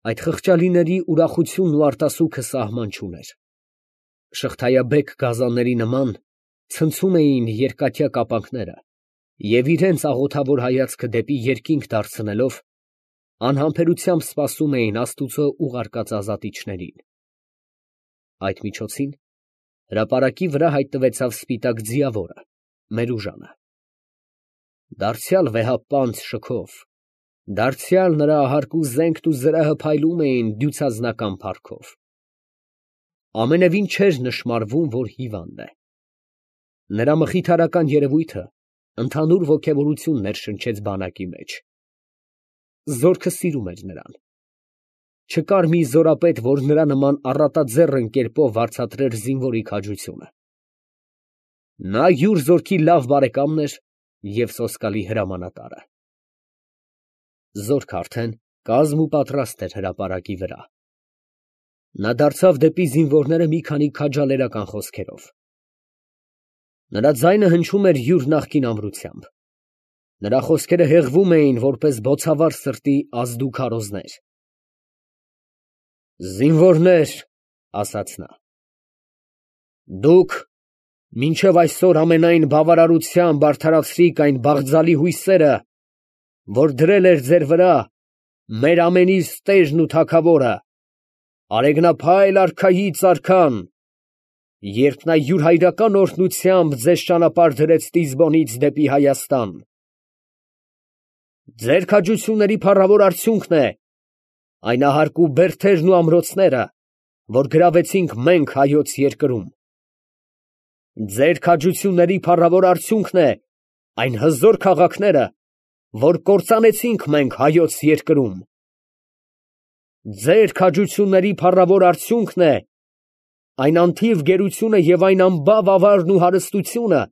Այդ խղճալիների ուրախությունն ու արտասուքը սահման չուներ. շղթայաբեկ գազանների նման ցնցում էին երկաթյա կապանքները և իրենց աղոթավոր հայացքը դեպի երկինք դարձնելով, անհամբերությամբ սպասում էին Աստուծո ուղարկած ազատիչներին։ Այդ միջոցին հրապարակի վրա հայտնվեցավ սպիտակ ձիավորը, Մերուժանը։ Դարձյալ վեհապանծ շքով, դարձյալ նրա հարկու զենքն ու զրահը փայլում էին դյուցազնական փառքով։ Ամենևին չէր նշմարվում, որ հիվանդ է։ Նրա մխիթարական երևույթը ընդհանուր ոգևորություն ներշնչեց բանակի մեջ։ Զորքը սիրում էր նրան։ Չկար մի զորապետ, որ նրա նման առատաձեռն կերպով վարձատրեր զինվորի քաջությունը։ Նա յուր զորքի լավ բարեկամն էր և սոսկալի հրամանատարը։ Զորքը արդեն կազմ ու պատրաստ էր հրապարակի վրա։ Նա դարձավ դեպի զինվորները մի քանի քաջալերական խոսքերով։ Նրա ձայնը հնչում էր յուր նախկին ամրությամբ։ Նրա խոսքերը հեղվում էին, որպես բոցավառ սրտի ազդու քարոզներ։ «Զինվորներ, ֊ ասաց նա, ֊ դուք մինչև այսօր ամենայն բավարարությամբ արդարացրիք այն բաղձալի հույսերը, որ դրել էր ձեր վրա մեր ամենիս տերն ու թագավորը, արեգնափայլ արքայից արքան, երբ նա յուր հայրական օրհնությամբ ձեզ ճանապարհ դրեց Տիզբոնից դեպի Հայաստան։ Ձեր քաջությունների փառավոր արդյունքն է այն ahարկու բերդերն ու ամրոցները, որ գրավեցինք մենք հայոց երկրում։ Ձեր քաջությունների փառավոր արդյունքն է այն հզոր քաղաքները, որ կործանեցինք մենք հայոց երկրում։ Ձեր քաջությունների փառավոր արդյունքն է այն անթիվ գերությունը և այն անբավ ավարն ու հարստությունը,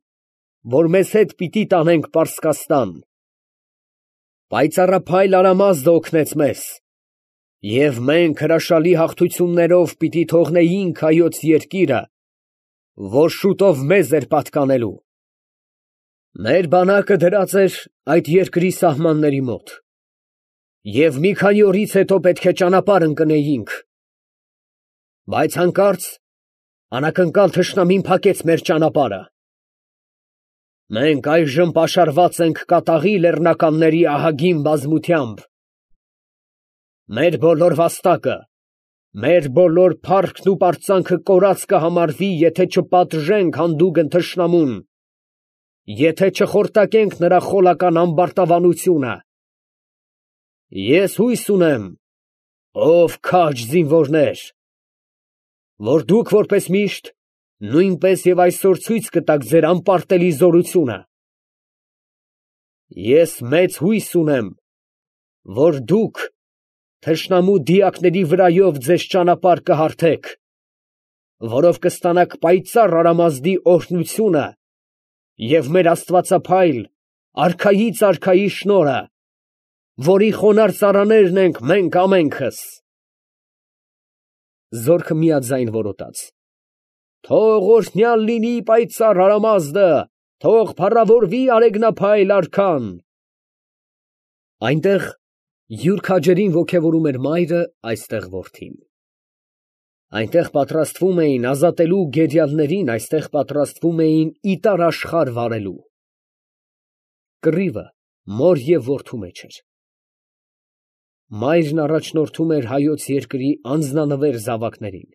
որ մեզ հետ պիտի տանենք Պարսկաստան։ Պայծառափայլ Արամազդը օգնեց մեզ, և մենք հրաշալի հաղթություններով պիտի թողնեինք հայոց երկիրը, որ շուտով մեզ էր պատկանելու։ Մեր բանակը դրած էր այդ երկրի սահմանների մոտ, և մի քանի օրից հետո պետք է ճանապարհ ընկնեինք, բայց հանկարծ անակնկալ թշնամին փակեց մեր ճանապարհը։ Մենք այժմ պաշարված ենք կատաղի լեռնականների ահագին բազմությամբ։ Մեր բոլոր վաստակը, մեր բոլոր փառքն ու պարծանքը կորած կհամարվի, եթե չպատժենք հանդուգն թշնամուն, եթե չխորտակենք նրա խոլական ամբարտավանությունը։ Ես հույս ունեմ, ով քաջ զինվորներ, որ դուք որպես միշտ նույնպես և այսօր ցույց կտաք ձեր անպարտելի զորությունը։ Ես մեծ հույս ունեմ, որ դուք թշնամու դիակների վրայով ձեզ ճանապարհ կհարթեք, որով կստանաք պայծառ Արամազդի օրհնությունը և մեր աստվածափայլ արքայից արքայի շնորհը, որի խոնարհ ծառաներն ենք մենք ամենքս։ Զորքը միաձայն որոտաց. «Թող օրհնյալ լինի պայծառ Արամազդը, թող փառավորվի արեգնափայլ արքան»։ Այնտեղ յուր քաջերին ոգևորում էր մայրը, այստեղ որդին։ Այնտեղ պատրաստվում էին ազատելու գերիալներին, այստեղ պատրաստվում էինիտար աշխարհ վարելու։ Կռիվը մոր և որդու մեջ էր։ Մայրն առաջնորդում էր հայոց երկրի անձնանվեր զավակներին,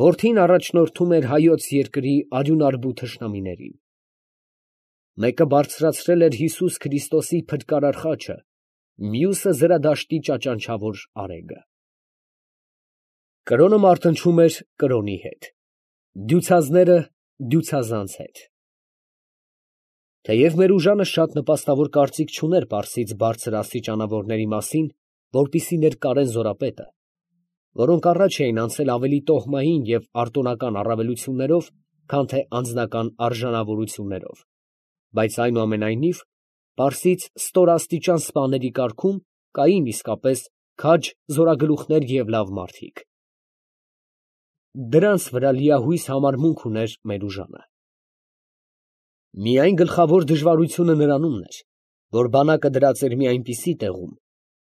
որդին առաջնորդում էր հայոց երկրի արյունարբու թշնամիներին։ Մեկը բարձրացրել էր Հիսուս Քրիստոսի փրկարար խաչը, մյուսը զրադաշտի ճաճանչավոր արեգը։ Կրոնը մարտնչում էր կրոնի հետ, դյուցազները դյուցազանց հետ։ Թեև Մերուժանը շատ նպաստավոր կարծիք չուներ պարսից բարձր աստիճանավորների մասին, որպեսզի ներկարեն զորապետը, որոնք առաջ էին անցել ավելի տոհմային և արտոնական առավելություններով, քան թե անձնական արժանավորություններով, բայց այնուամենայնիվ պարսից ստորաստիճան սպաների կարգում կային իսկապես քաջ զորագլուխներ և լավ մարդիկ։ Դրանց վրա լիահույս համարմունք ուներ Մերուժանը։ Միայն գլխավոր դժվարությունը նրանումն էր, որ բանակը դրած էր մի այնպիսի տեղում,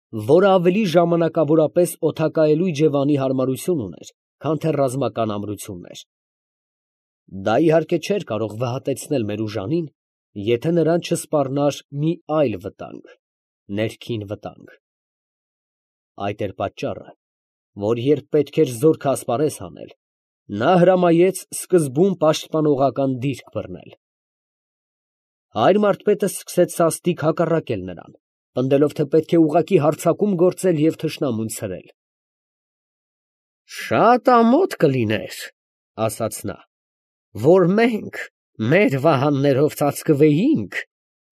որը ավելի ժամանակավորապես օդակայելու Իջևանի հարմարություն ուներ, քան թե ռազմական ամրություններ։ Դա իհարկե չէր կարող վհատեցնել Մերուժանին, եթե նրան չսպառնար մի այլ վտանգ, ներքին վտանգ։ Այդ էր պատճառը, որ երբ պետք էր զորքը ասպարեզ հանել, նա հրամայեց սկզբում պաշտպանողական դիրք բռնել։ Հայր մարդպետը սկսեց սաստիկ հակառակել նրան, պնդելով, թե պետք է ուղղակի հարձակում գործել և թշնամուն ցրել։ «Շատ ամոթ կլիներ, ֊ ասաց նա, ֊ որ մենք մեր վահաններով ծածկվեինք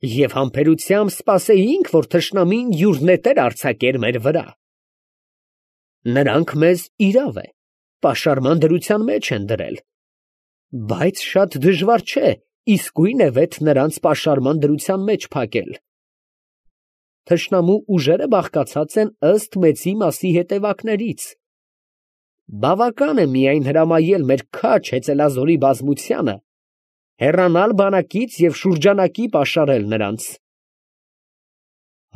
և համբերությամբ սպասեինք, որ թշնամին յուր նետեր արձակեր մեր վրա։ Նրանք մեզ, իրավ է, պաշարման դրության մեջ են դրել, բայց շատ դժվար չէ իսկույնևեթ նրանց պաշարման դրության մեջ փակել։ Թշնամու ուժերը բաղկացած են ըստ մեծի մասի հետևակներից։ Բավական է միայն հրամայել մեր քաջ հեծելազորի բազմությանը հեռանալ բանակից և շուրջանակի պաշարել նրանց»։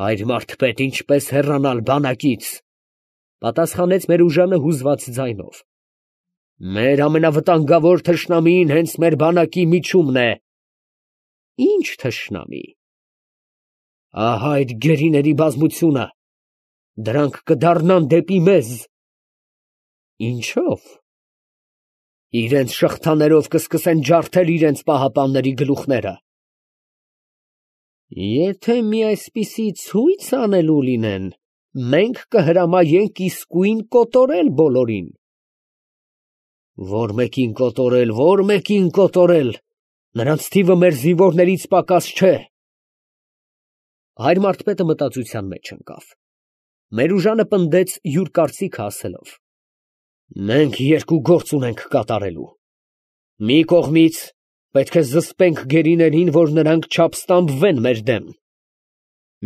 «Հայր մարդպետ, ինչպես հեռանալ բանակից, ֊ պատասխանեց Մերուժանը հուզված ձայնով, ֊ մեր ամենավտանգավոր թշնամին հենց մեր բանակի միջումն է։ Ի՞նչ թշնամի։ Ահա այդ գերիների բազմությունը, դրանք կդառնան դեպի մեզ։ Ինչո՞վ։ Իրենց շղթաներով կսկսեն ջարդել իրենց պահապանների գլուխները։ Եթե մի այսպիսի ցույց անելու լինեն, մենք կհրամայենք իսկույն կոտորել բոլորին։ Որ մեկին կոտորել, որ մեկին կոտորել, նրանց թիվը մեր զինվորներից պակաս չէ։ Հայր մարդպետը մտածության մեջ ընկավ։ Մերուժանը պնդեց յուր կարծիքը ասելով. «Մենք երկու գործ ունենք կատարելու. մի կողմից պետք է զսպենք գերիներին, որ նրանք չապստամբվեն մեր դեմ.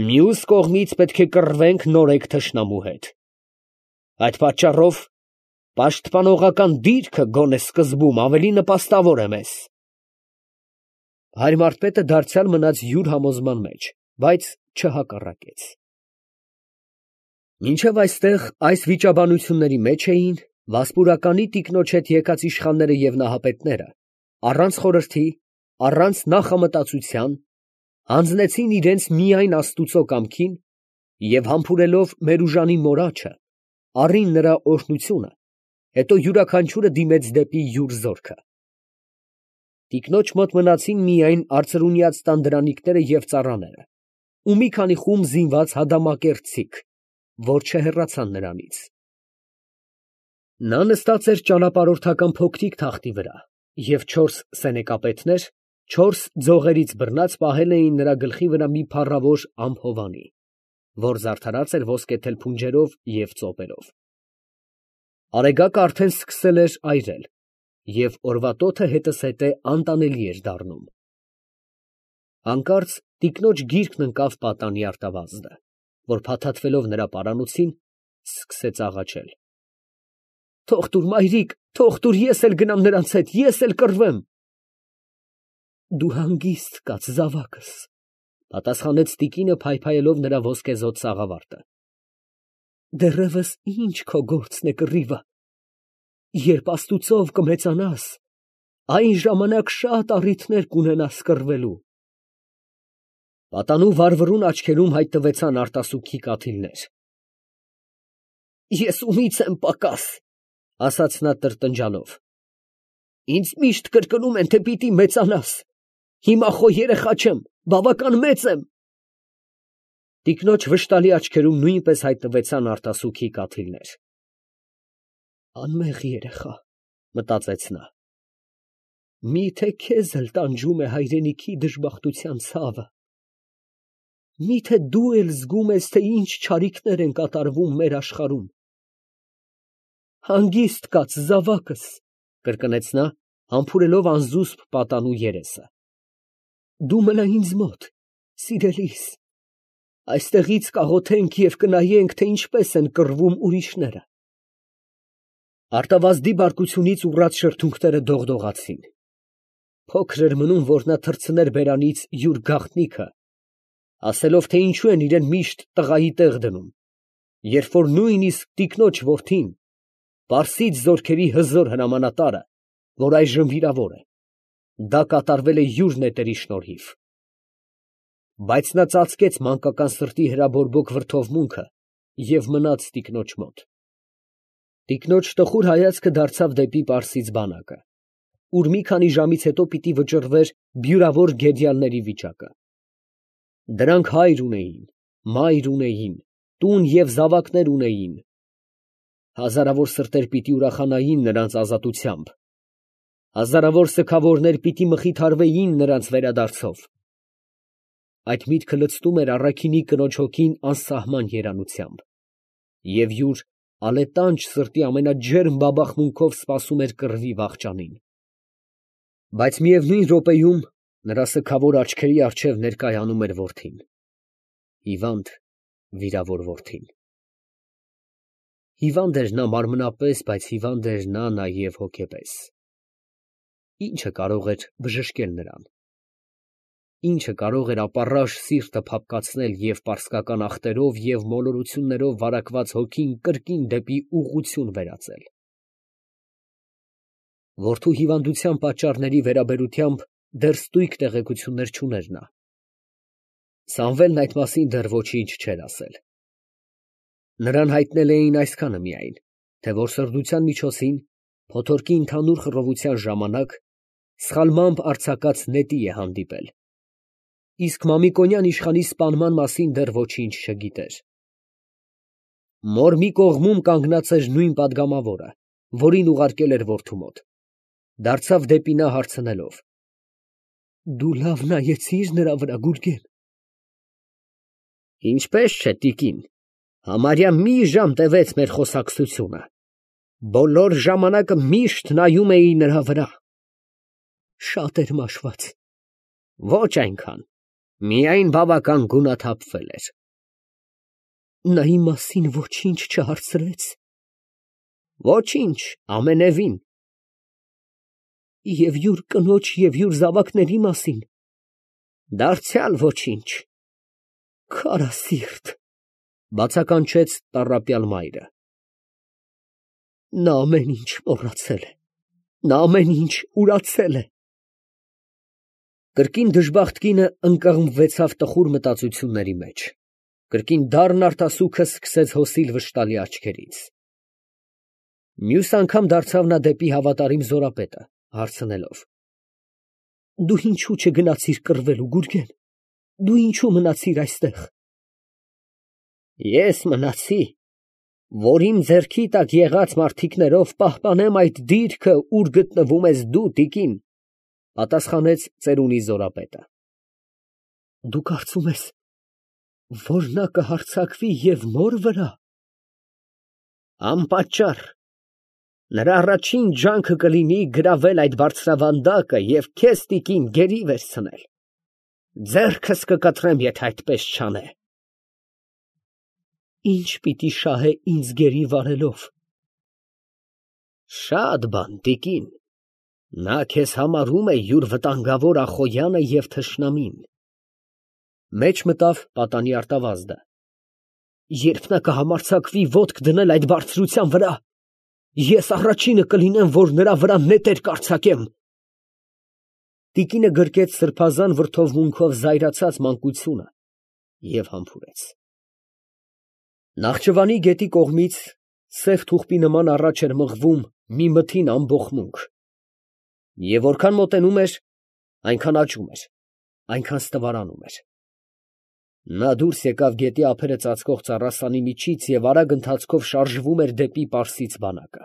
մյուս կողմից պետք է կռվենք նորեկ թշնամու հետ։ Այդ պատճառով պաշտպանողական դիրքը գոնե սկզբում ավելի նպաստավոր է մեզ»։ Հայր մարդպետը դարձյալ մնաց յուր համոզման մեջ, բայց չհակառակեց։ Մինչև այստեղ այս վիճաբանությունների մեջ էին Վասպուրականի տիկնոջ հետ եկած իշխանները և նահապետները, առանց խորհրդի, առանց նախամտածության, հանձնեցին իրենց միայն Աստուծո կամքին և համբուրելով Մերուժանի մորաչը, առին նրա օրհնությունը, հետո յուրաքանչյուրը դիմեց դեպի յուր զորքը։ Տիկնոջ մոտ մնացին միայն արծրունյաց տան դրանիկները և ծառաները ու մի քանի խումբ զինված հադամակերտցիք, որ չհեռացան նրանից։ Նա նստած էր ճանապարհորդական փոքրիկ թախտի վրա, և 4 սենեկապետներ, 4 ձողերից բռնած, պահել էին նրա գլխի վրա մի փառավոր ամփովանի, որ զարդարած էր ոսկեթել փունջերով և ծոպերով։ Արեգակը արդեն սկսել էր այրել, և օրվա տոթը հետզհետե անտանելի էր դառնում։ Հանկարծ տիկնոջ գիրկն ընկավ պատանի արտավազդը, որ փաթաթվելով նրա պարանոցին, սկսեց աղաչել. «Թող տուր, մայրիկ, թող տուր, ես էլ գնամ նրանց հետ, ես էլ կռվեմ»։ Դու հանգիստ կաց, զավակս, ֊ պատասխանեց տիկինը, փայփայելով նրա ոսկեզօծ սաղավարտը։ Դեռևս ինչ քո գործն է կռիվը։ Երբ Աստուծով կմեծանաս, այն ժամանակ շատ առիթներ կունենաս կռվելու։ Պատանու վառվռուն աչքերում հայտնվեցան արտասուքի կաթիլներ։ Ես ումից եմ պակաս, ֊ ասաց նա տրտնջալով։ Ինձ միշտ կրկնում են, թե պիտի մեծանաս։ Հիմա խո երեխա չեմ, բավական մեծ եմ։ Տիկնոջ վշտալի աչքերում նույնպես հայտնվեցան արտասուքի կաթիլներ։ Անմեղ երեխա, մտածեց նա։ Միթե քեզ էլ տանջում է հայրենիքի դժբախտության ցավը։ Միթե դու էլ զգում ես, թե ինչ չարիքներ են կատարվում մեր աշխարհում։ Հանգիստ կաց, զավակս, կրկնեց նա, համբուրելով անզուսպ պատանու երեսը։ Դու մնա ինձ մոտ, սիրելիս։ Այստեղից կաղոթենք և կնայենք, թե ինչպես են կռվում ուրիշները։ Արտավազդի բարկությունից ուռած շրթունքները դողդողացին։ Փոքր էր մնում, որ նա թռցներ բերանից յուր գաղտնիքը, ասելով, թե ինչու են իրան միշտ տղայի տեղ դնում, երբ որ նույնիսկ տիկնոջ որդին, Պարսից զորքերի հզոր հրամանատարը, որ այժմ վիրավոր է, դա կատարվել է յուր նետերի շնորհիվ։ Բայց նա ծածկեց մանկական սրտի հրաբորբոք վրդովմունքը և մնաց տիկնոջ մոտ։ Տիկնոջ տխուր հայացքը դարձավ դեպի Պարսից բանակը, ուր մի քանի ժամից հետո պիտի վճռվեր բյուրավոր գերիալների վիճակը։ Դրանք հայր ունեին, մայր ունեին, տուն և զավակներ ունեին։ Հազարավոր սրտեր պիտի ուրախանային նրանց ազատությամբ, հազարավոր սգավորներ պիտի մխիթարվեին նրանց վերադարձով։ Այդ միտքը լցնում էր առաքինի կնոջ հոգին անսահման երանությամբ, և յուր ալետանջ սրտի ամենաջերմ բաբախմունքով սպասում էր կռվի վախճանին։ Բայց միևնույն րոպեում նրա սգավոր աչքերի առջև ներկայանում էր որդին, հիվանդ, վիրավոր որդին։ Հիվանդ էր նա մարմնապես, բայց հիվանդ էր նա նաև հոգեպես։ Ի՞նչը կարող էր բժշկել նրան։ Ի՞նչը կարող էր ապառաշ սիրտը փափկացնել և պարսկական ախտերով և մոլորություններով վարակված հոգին կրկին դեպի ուղղություն վերածել։ Որդու հիվանդության պատճառների վերաբերությամբ դեռ ստույգ տեղեկություններ չուներ նա։ Սամվելն այդ մասին դեռ ոչինչ չէր ասել։ Նրան հայտնել էին այսքանը միայն, թե որ սրբության միջոցին, փոթորկի ընդհանուր խռովության ժամանակ, սխալմամբ արձակած նետի է հանդիպել, իսկ Մամիկոնյան իշխանի սպանման մասին դեռ ոչինչ չգիտեր։ Մոր մի կողմում կանգնած էր նույն պատգամավորը, որին ուղարկել էր որդու մոտ, դարձավ դեպի նա հարցնելով. «Դու լավ նայեցի՞ր նրա վրա, Գուրգեն»։ «Ինչպես չէ, տիկին, համարյա մի ժամ տևեց մեր խոսակցությունը, բոլոր ժամանակը միշտ նայում էի նրա վրա»։ «Շատ էր մաշված»։ «Ոչ այնքան, միայն բավական գունաթափվել էր»։ «Նա իմ մասին ոչինչ չհարցրեց»։ «Ոչինչ, ամենևին»։ «Եվ յուր կնոջ և յուր զավակների մասին»։ «Դարձյալ ոչինչ»։ «Քարասիրտ», բացականչեց տառապյալ մայրը։ «Նա ամեն ինչ մոռացել է, նա ամեն ինչ ուրացել է»։ Կրկին դժբախտ կինը ընկղմվեցավ տխուր մտածությունների մեջ, կրկին դառն արտասուքը սկսեց հոսիլ վշտալի աչքերից։ Մյուս անգամ դարձավ նա դեպի հավատարիմ զորապետը, հարցնելով. «Դու ինչու չգնացիր կռվելու, Գուրգեն, դու ինչու մնացիր այստեղ»։ «Ես մնացի, որ իմ ձեռքի տակ եղած մարդիկներով պահպանեմ այդ դիրքը, ուր գտնվում ես դու, տիկին», պատասխանեց ծերունի զորապետը։ «Դու կարծում ես, որ նա կհարձակվի և մոր վրա»։ «Անպատճառ, նրա առաջին ջանքը կլինի գրավել այդ բարձրավանդակը և քեզ, տիկին, գերի վերցնել։ Ձեռքս կկտրեմ, եթե այդպես չանե»։ «Ի՞նչ պիտի շահե ինձ գերի վարելով»։ «Շատ բան, տիկին, նա քեզ համարում է յուր վտանգավոր Ախոյանը և թշնամին»։ Մեջ մտավ պատանի արտավազդը։ «Երբ նա կհամարձակվի ոտք դնել այդ բարձրության վրա, ես առաջինը կլինեմ, որ նրա վրա նետեր կարձակեմ»։ Տիկինը գրկեց սրբազան վրդովմունքով զայրացած մանկությունը և համբուրեց։ Նախճվանի գետի կողմից սև թուղթի նման առաջ էր մղվում մի մթին ամբոխմունք, և որքան մոտենում էր, այնքան աճում էր, այնքան ստվարանում էր։ Նա դուրս եկավ գետի ափերը ծածկող ծառասանի միջից և արագ ընթացքով շարժվում էր դեպի Պարսից բանակը։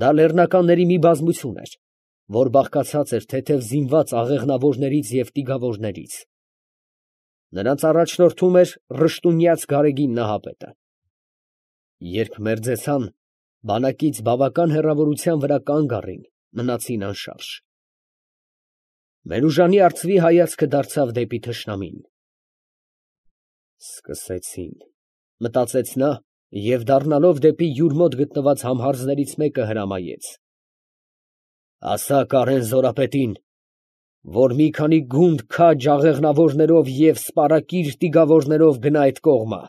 Դա լեռնականների մի բազմություն էր, որ բաղկացած էր թեթև զինված աղեղնավորներից և տիգավորներից։ Նրանց առաջնորդում էր ռշտունյաց գարեգին Նահապետը։ Երբ մերձեցան, բանակից բավական հեռավորության վրա կանգ առին, մնացին անշարժ։ Մերուժանի արծվի հայացքը դարձավ դեպի թշնամին։ «Սկսեցին», մտածեց նա և դառնալով դեպի յուր մոտ գտնված համհարձներից մեկը հրամայեց. «Ասա Կարեն զորապետին, որ մի քանի գունդ քաջ աղեղնավորներով և սպարակիր տիգավորներով գնա այդ կողմը»։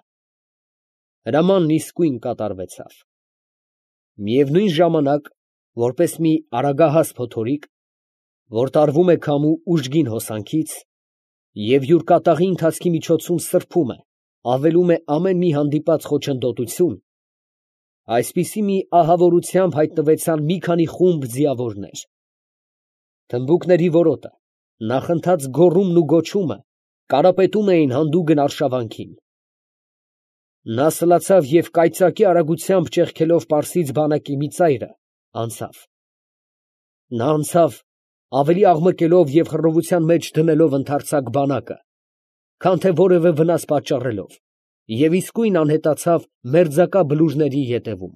Հրամանն իսկույն կատարվեցավ։ Միևնույն ժամանակ, որպես մի արագահաս փոթորիկ, որ տարվում է քամու ուժգին հոսանքից և յուր կատաղի ընթացքի միջոցում սրբում է, ավելում է ամեն մի հանդիպած խոչընդոտություն, այսպիսի մի ահավորությամբ հայտնվեցան մի քանի խումբ ձիավորներ. թմբուկների որոտը, նախընթաց գոռումն ու գոչումը կարապետում էին հանդուգն արշավանքին։ Նա սլացավ և կայծակի արագությամբ ճեղքելով պարսից բանակի մի ծայրը, անցավ։ Նա անցավ, ավելի աղմկելով և խռովության մեջ դնելով ընդարձակ բանակը, քան թե որևէ վնաս պատճառելով, և իսկույն անհետացավ մերձակա բլուրների ետևում։